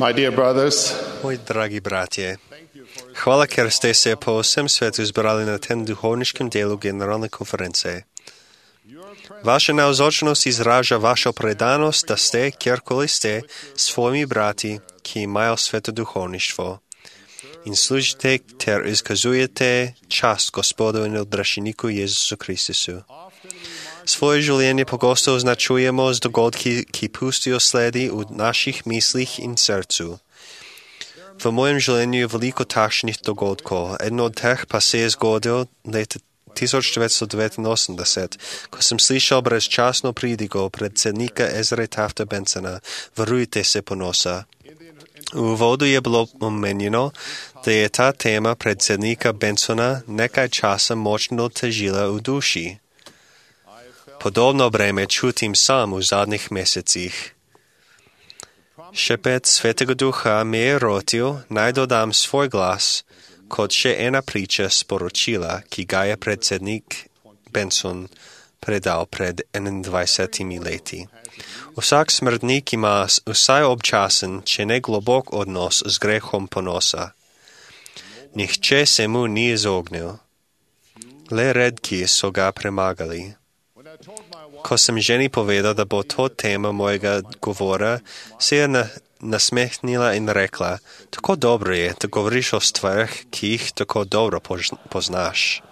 My dear brothers, Moji dragi bratje, hvala, ker ste se po vsem svetu zbrali na tem duhovniškem delu generalne konference. Vaša navzočnost izraža vašo predanost, da ste, kjerkoli ste, svojimi brati, ki imajo sveto duhovništvo in služite ter izkazujete čast Gospodu in odrešeniku Jezusu Kristusu. Svoje življenje pogosto označujemo z dogodki, ki pustijo sledi v naših mislih in srcu. V mojem življenju je veliko takšnih dogodkov. Eno od teh pa se je zgodil leta 1989, ko sem slišal brezčasno pridigo predsednika Ezre Tafta Bensona, Varujte se ponosa. V uvodu je bilo omenjeno, da je ta tema predsednika Bensona nekaj časa močno težila v duši. Podobno breme čutim sam v zadnjih mesecih. Šepet Svetega Duha me je rotil, naj dodam svoj glas, kot še ena priča sporočila, ki ga je predsednik Benson predal pred 21 leti. Vsak smrtnik ima vsaj občasen, če ne globok odnos z grehom ponosa. Nihče se mu ni izognil. Le redki so ga premagali. Ko sem ženi povedal, da bo to tema mojega govora, se je nasmehnila in rekla, tako dobro je, da govoriš o stvarih, ki jih tako dobro poznaš.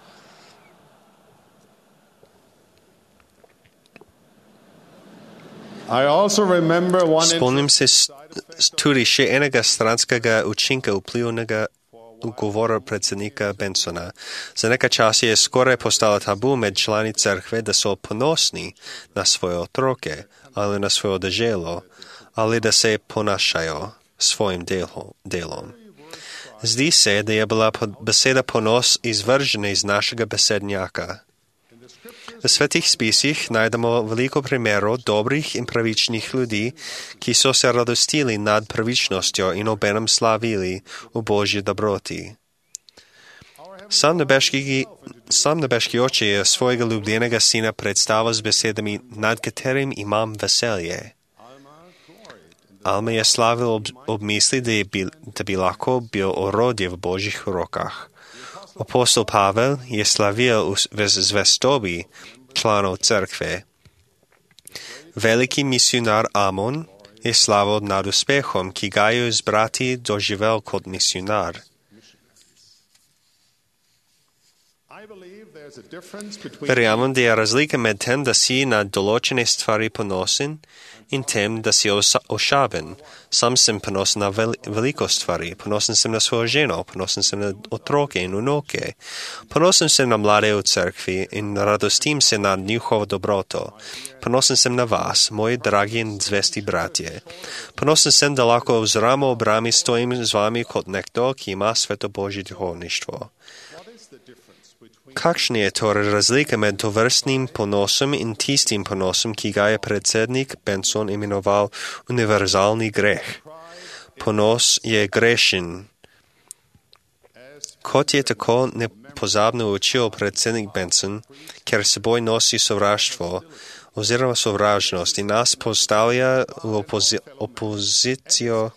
Spomnim se tudi še enega stranskega učinka vplivnega govora predsednika Bensona. Za nekaj časa je skoraj postalo tabu med člani cerkve, da so ponosni na svoje otroke ali na svojo deželo, ali da se ponašajo svojim delom. Zdi se, da je bila beseda ponos izvržena iz našega besednjaka. V svetih spisih najdemo veliko primerov dobrih in pravičnih ljudi, ki so se radostili nad pravičnostjo in obenem slavili v Božji dobroti. Sam nebeški oče je svojega ljubljenega sina predstavil z besedami, nad katerim imam veselje. Alma je slavil ob misli, da bi lahko bil orodje v Božjih rokah. Apostol Pavel je slavil v zvestobi članov cerkve. Veliki misionar Amon je slavil nad uspehom, ki ga je z brati doživel kot misionar. Verjamem, da je razlika med tem, da si na določene stvari ponosen in tem, da si ošaben. Sam sem ponosen na veliko stvari. Ponosen sem na svojo ženo, ponosen sem na otroke in vnuke. Ponosen sem na mlade v cerkvi in radostim se nad njihovo dobroto. Ponosen sem na vas, moji dragi in zvesti bratje. Ponosen sem, da lahko z ramo ob rami stojim z vami kot nekdo, ki ima sveto Božje duhovništvo. Kakšna je torej razlika med tovrstnim ponosom in tistim ponosom, ki ga je predsednik Benson imenoval univerzalni greh? Ponos je grešen. Kot je tako nepozabno učil predsednik Benson, ker seboj nosi sovraštvo oziroma sovražnost in nas postavlja v opozicijo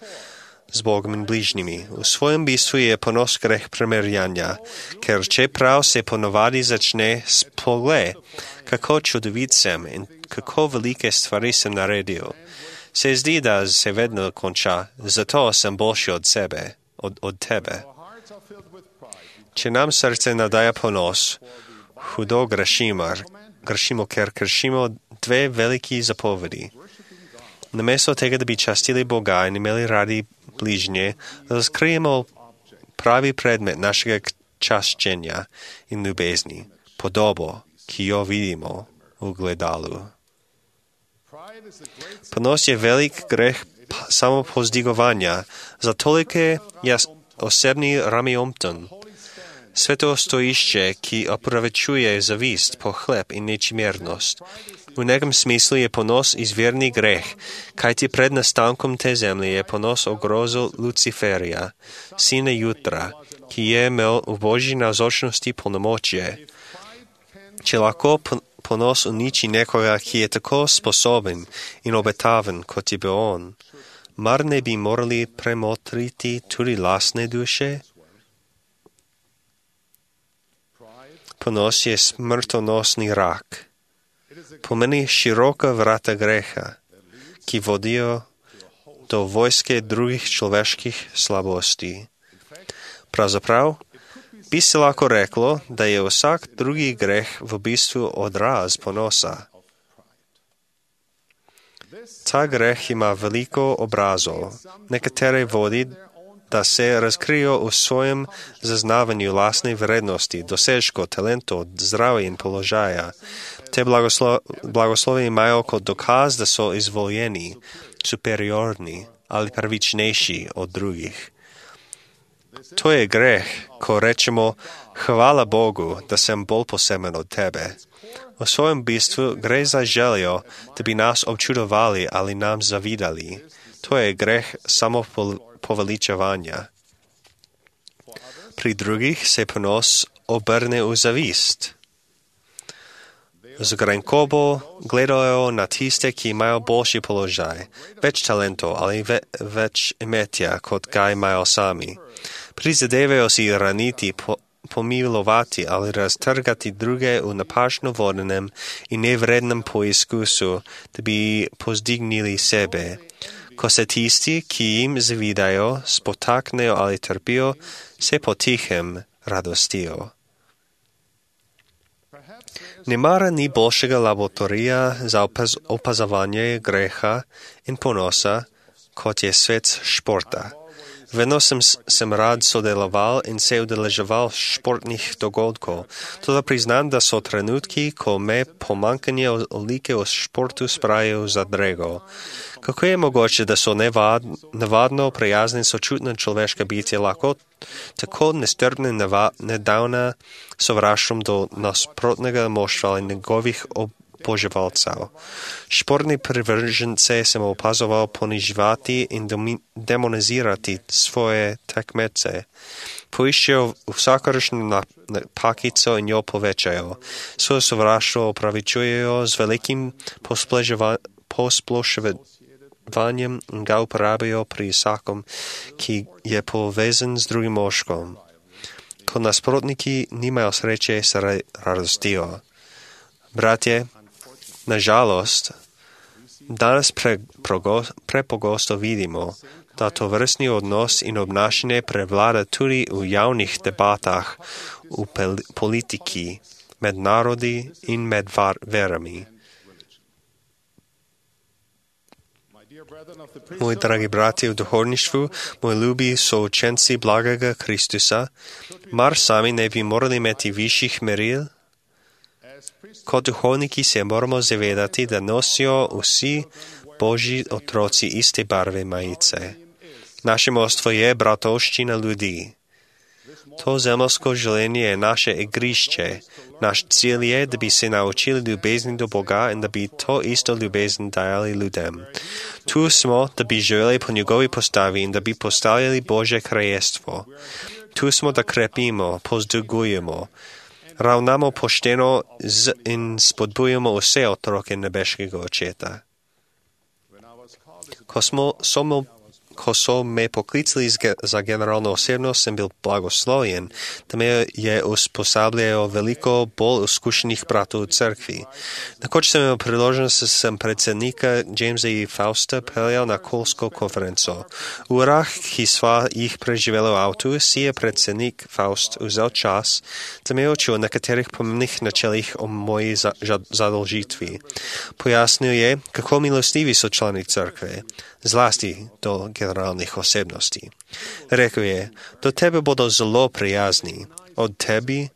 z Bogom in bližnjimi. V svojem bistvu je ponos greh primerjanja, ker čeprav se ponovadi začne s poglej, kako čudovit sem in kako velike stvari sem naredil. Se zdi, da se vedno konča, zato sem boljši od sebe, od tebe. Če nam srce nadaja ponos, hudo grešimo, ker kršimo dve veliki zapovedi. Namesto tega, da bi častili Boga in imeli radi bližnje, razkrijemo pravi predmet našega čaščenja in ljubezni, podobo, ki jo vidimo v gledalu. Ponos je velik greh samopovzdigovanja, za tolike je osebni ramiomton. Sveto stojišče, ki opravičuje zavist, pohlep in nečimjernost. V nekem smislu je ponos izvirni greh, kajti pred nastankom te zemlje je ponos ogrozil Luciferja, sina jutra, ki je imel v Božji navzočnosti polnomočje. Če lahko ponos uniči nekoga, ki je tako sposoben in obetaven, kot je bil on, Mar ne bi morali premotriti tudi lastne duše? Ponos je smrtonosni rak. Pomeni široka vrata greha, ki vodijo do vojske drugih človeških slabosti. Pravzaprav bi se lahko reklo, da je vsak drugi greh v bistvu odraz ponosa. Ta greh ima veliko obrazov. Nekatere vodi, da se razkrijo v svojem zaznavanju lastne vrednosti, dosežkov, talentov, zdravja in položaja. Te blagoslovi imajo kot dokaz, da so izvoljeni, superiorni ali pravičnejši od drugih. To je greh, ko rečemo, hvala Bogu, da sem bolj poseben od tebe. V svojem bistvu gre za željo, da bi nas občudovali ali nam zavidali. To je greh samopoveličevanja. Pri drugih se ponos obrne v zavist. Z grenkobo gledajo na tiste, ki imajo boljši položaj, več talentov ali več imetja, kot ga imajo sami. Prizadevajo si raniti, pomilovati ali raztrgati druge v napačno vodenem in nevrednem poizkusu, da bi pozdignili sebe. Ko se tisti, ki jim zavidajo, spotaknejo ali trpijo, se potihem radostijo. Nemara ni boljšega laboratorija za opazovanje greha in ponosa, kot je svet športa. Vedno sem rad sodeloval in se udeleževal športnih dogodkov, toda priznam, da so trenutki, ko me pomanjkanje olike v športu spravijo v zadrego. Kako je mogoče, da so navadno prijazne in sočutne človeške bitje lahko tako nestrpne in nedavna sovraštvom do nasprotnega moštva in njegovih oboževalcev. Športni privržence sem opazoval poniževati in demonizirati svoje tekmece. Poiščejo vsakršno napakico in jo povečajo. Svoje sovraštvo opravičujejo z velikim posploševanjem in ga uporabijo pri vsakom, ki je povezan z drugim moškom. Ko nasprotniki nimajo sreče, se radostijo. Bratje, nažalost, danes prepogosto vidimo, da to vrstni odnos in obnašanje prevlada tudi v javnih debatah, v politiki, med narodi in med verami. Moji dragi bratje v duhovništvu, moji ljubi součenci blagega Kristusa, mar sami ne bi morali imeti višjih meril? Kot duhovniki se moramo zavedati, da nosijo vsi Božji otroci iste barve majice. Naše mostvo je bratovščina ljudi. To zemeljsko življenje je naše igrišče. Naš cilj je, da bi se naučili ljubezni do Boga in da bi to isto ljubezen dajali ljudem. Tu smo, da bi živeli po njegovi postavi in da bi postavljali Božje kraljestvo. Tu smo, da krepimo, pozdvigujemo, ravnamo pošteno in spodbujamo vse otroke nebeškega Očeta. Ko so me poklicali za generalno osebnost, sem bil blagoslovljen, da me je usposabljajo veliko bolj izkušenih bratov v cerkvi. Nekoč sem imel priložnost, da sem predsednika Jamesa E. Fausta peljal na kolsko konferenco. V urah, ki sva jih preživela v avtu, si je predsednik Faust vzel čas, da me je učil o nekaterih pomembnih načelih o moji zadolžitvi. Pojasnil je, kako milostivi so člani cerkve, zlasti do generalnih osebnosti. Rekel je, do tebe bodo zelo prijazni, od tebi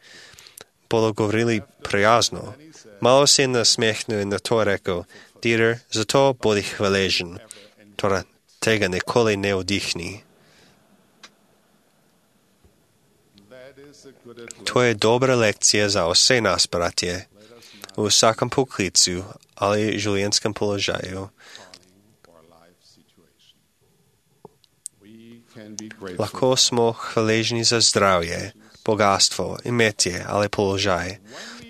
bodo govorili prijazno. Malo se je nasmehnil in na to rekel, Dieter, zato bodi hvaležen, torej tega nikoli ne vdihni. To je dobra lekcija za vse nas, bratje, v vsakem poklicu ali življenjskem položaju. Lahko smo hvaležni za zdravje, bogatstvo, imetje ali položaj.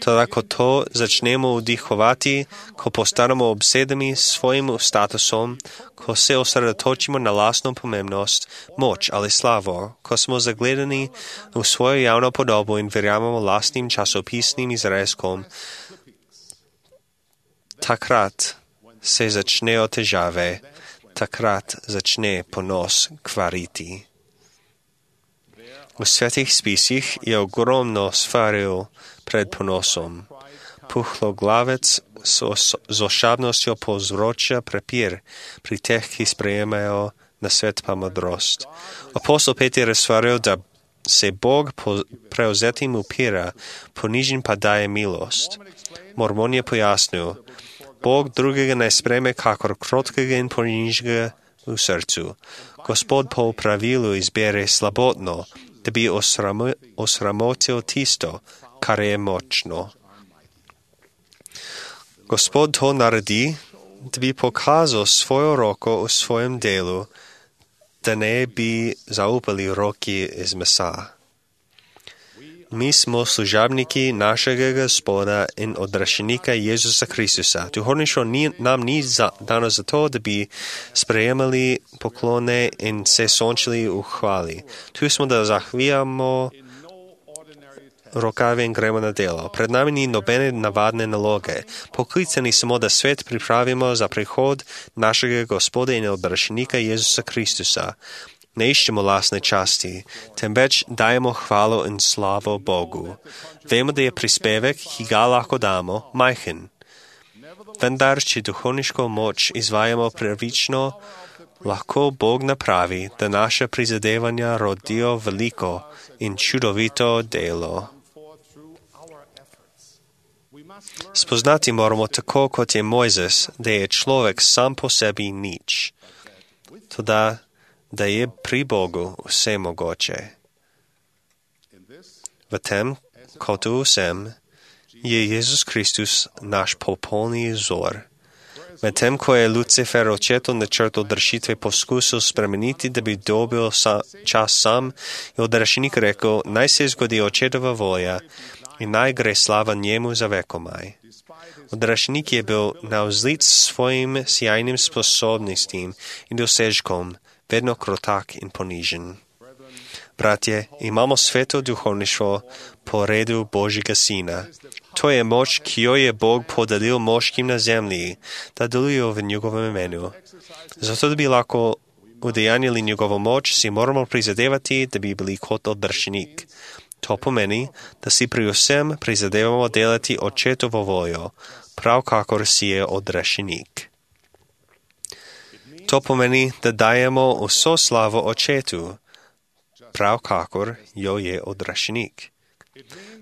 Toda ko to začnemo vdihovati, ko postanemo obsedeni s svojim statusom, ko se osredotočimo na lastno pomembnost, moč ali slavo, ko smo zagledani v svojo javno podobo in verjamemo lastnim časopisnim izrezkom, takrat se začnejo težave, takrat začne ponos kvariti. V svetih spisih je ogromno svaril pred ponosom. Puhloglavec z ošabnostjo povzroča prepir pri teh, ki sprejemajo na svet pa modrost. Apostol Peter je svaril, da se Bog prevzetim upira, ponižen pa daje milost. Mormon je pojasnil, Bog drugega ne spreme kakor krotkega in ponižnega v srcu. Gospod po pravilu izbere slabotno, da bi osramotil tisto, kar je močno. Gospod to naredi, da bi pokazal svojo roko v svojem delu, da ne bi zaupali roki iz mesa. Mi smo služabniki našega Gospoda in odrešenika Jezusa Kristusa. Duhovništvo nam ni dano zato, da bi sprejemali poklone in se sončili v hvali. Tu smo, da zahvijamo rokave in gremo na delo. Pred nami ni nobene navadne naloge. Poklicani smo, da svet pripravimo za prihod našega Gospoda in odrešenika Jezusa Kristusa. Ne iščemo lastne časti, temveč dajemo hvalo in slavo Bogu. Vemo, da je prispevek, ki ga lahko damo, majhen. Vendar, če duhovniško moč izvajamo pravično, lahko Bog napravi, da naše prizadevanja rodijo veliko in čudovito delo. Spoznati moramo tako, kot je Mojzes, da je človek sam po sebi nič. Toda da je pri Bogu vse mogoče. V tem, kot v vsem, je Jezus Kristus naš popolni vzor. Medtem, ko je Lucifer očetov načrt odrešitve poskusil spremeniti, da bi dobil čas sam, je odrešenik rekel, naj se zgodi očetova volja in naj gre slava njemu za vekomaj. Odrešenik je bil navzlic s svojim sjajnim sposobnostim in dosežkom, vedno krotak in ponižen. Bratje, imamo sveto duhovništvo po redu Božjega Sina. To je moč, ki jo je Bog podelil moškim na zemlji, da delujejo v njegovem imenu. Zato, da bi lahko udejanjili njegovo moč, si moramo prizadevati, da bi bili kot odrešenik. To pomeni, da si pri vsem prizadevamo delati očetovo voljo, prav kakor si je odrešenik. To pomeni, da dajemo vso slavo očetu, prav kakor jo je odrešenik.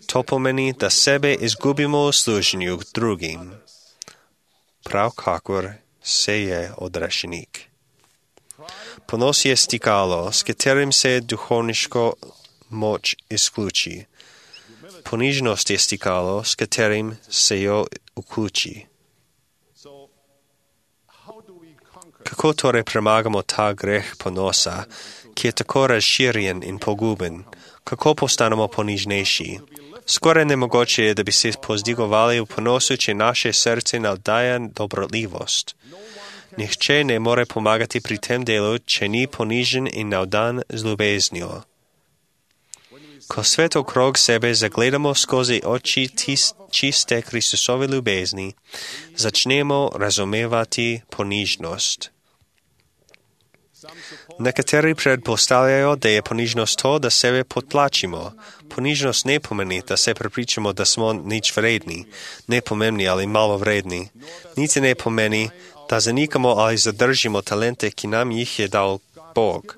To pomeni, da sebe izgubimo v služenju drugim, prav kakor se je odrešenik. Ponos je stikalo, s katerim se duhovniško moč izključi. Ponižnost je stikalo, s katerim se jo vključi. Kako torej premagamo ta greh ponosa, ki je tako razširjen in poguben? Kako postanemo ponižnejši? Skoraj nemogoče je, da bi se pozdigovali v ponosu, če naše srce navdaja dobrotljivost. Nihče ne more pomagati pri tem delu, če ni ponižen in navdan z ljubeznijo. Ko svet okrog sebe zagledamo skozi oči čiste Kristusove ljubezni, začnemo razumevati ponižnost. Nekateri predpostavljajo, da je ponižnost to, da sebe potlačimo. Ponižnost ne pomeni, da se prepričamo, da smo nič vredni, nepomembni ali malo vredni. Niti ne pomeni, da zanikamo ali zadržimo talente, ki nam jih je dal Bog.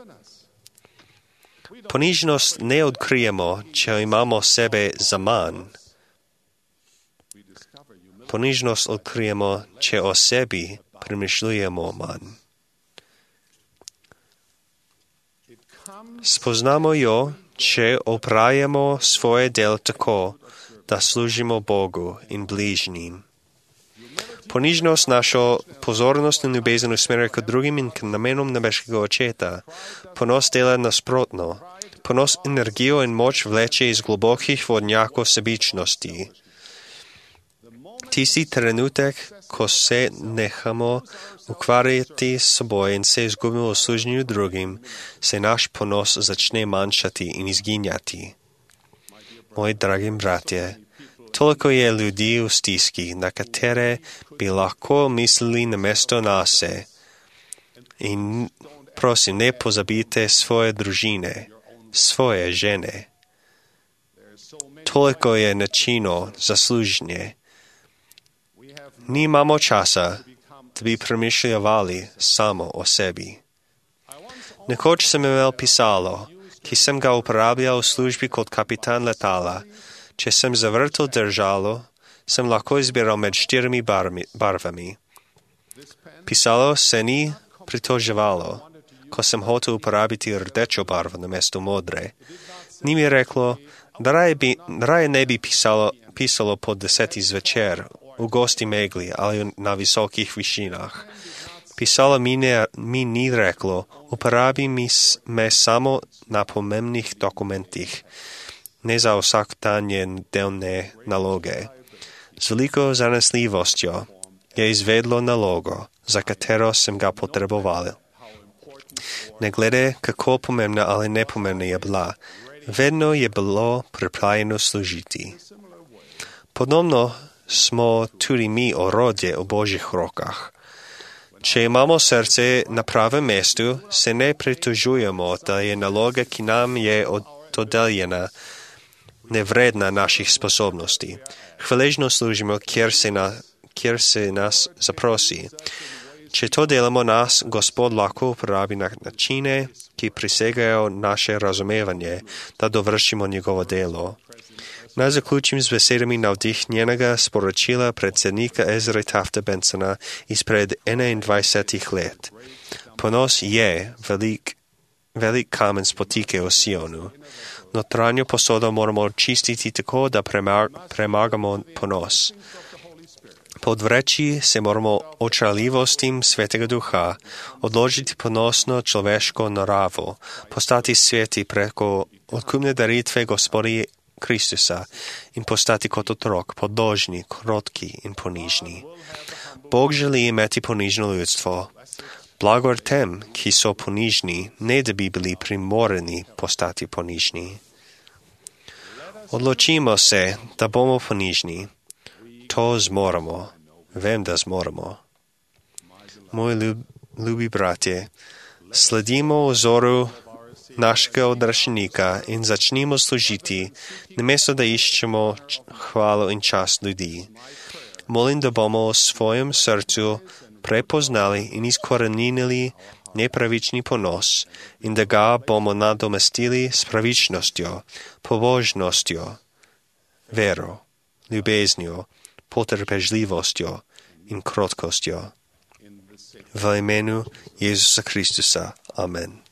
Ponižnost ne odkrijemo, če imamo sebe za manj. Ponižnost odkrijemo, če o sebi premišljujemo manj. Spoznamo jo, če opravimo svoje del tako, da služimo Bogu in bližnjim. Ponižnost našo pozornost in ljubezen usmerja k drugim in k namenom nebeškega očeta. Ponos dela nasprotno. Ponos energijo in moč vleče iz globokih vodnjakov sebičnosti. тисти trenutek, ko se nehamo ukvarjati s seboj in se izgubimo v služenju drugim, se naš ponos začne manjšati in izginjati. Moji dragi bratje, toliko je ljudi v stiski, na katere bi lahko mislili namesto nase. In prosim, ne pozabite svoje družine, svoje žene. Toliko je načinov za služenje. Nimamo časa, da bi premišljali samo o sebi. Nekoč sem imel pisalo, ki sem ga uporabljal v službi kot kapitan letala. Če sem zavrtel držalo, sem lahko izbiral med 4 barvami. Pisalo se ni pritoževalo, ko sem hotel uporabiti rdečo barvo namesto modre. Ni mi reklo, da raje ne bi pisalo po 10 zvečer, v gosti megli ali na visokih višinah. Pisalo mi ni reklo, uporabi me samo na pomembnih dokumentih, ne za vsakdanje delne naloge. Z veliko zanesljivostjo je izvedlo nalogo, za katero sem ga potreboval. Ne glede, kako pomembna ali nepomembna je bila, vedno je bilo pripravljeno služiti. Podobno smo tudi mi orodje v Božjih rokah. Če imamo srce na pravem mestu, se ne pritožujemo, da je naloga, ki nam je dodeljena, nevredna naših sposobnosti. Hvaležno služimo, kjer se nas zaprosi. Če to delamo, nas Gospod lahko uporabi na načine, ki prisegajo naše razumevanje, da dovršimo njegovo delo. Naj zaključim z besedami navdihnjenega sporočila predsednika Ezre Tafta Bensona izpred 21 let. Ponos je velik kamen spotike v Sionu. Notranjo posodo moramo čistiti tako, da premagamo ponos. Podvreči se moramo očarljivostim Svetega Duha, odložiti ponosno človeško naravo, postati sveti preko odkupne daritve Gospoda Kristusa in postati kot otrok, podložni, krotki in ponižni. Bog želi imeti ponižno ljudstvo. Blagor tem, ki so ponižni, ne da bi bili primorani postati ponižni. Odločimo se, da bomo ponižni. To zmoremo. Vem, da zmoremo. Moji ljubi bratje, sledimo vzoru našega odrašenika in začnimo služiti, namesto da iščemo hvalo in čast ljudi. Molim, da bomo v svojem srcu prepoznali in izkoreninili nepravični ponos in da ga bomo nadomestili s pravičnostjo, pobožnostjo, vero, ljubeznjo, potrpežljivostjo in krotkostjo. V imenu Jezusa Kristusa. Amen.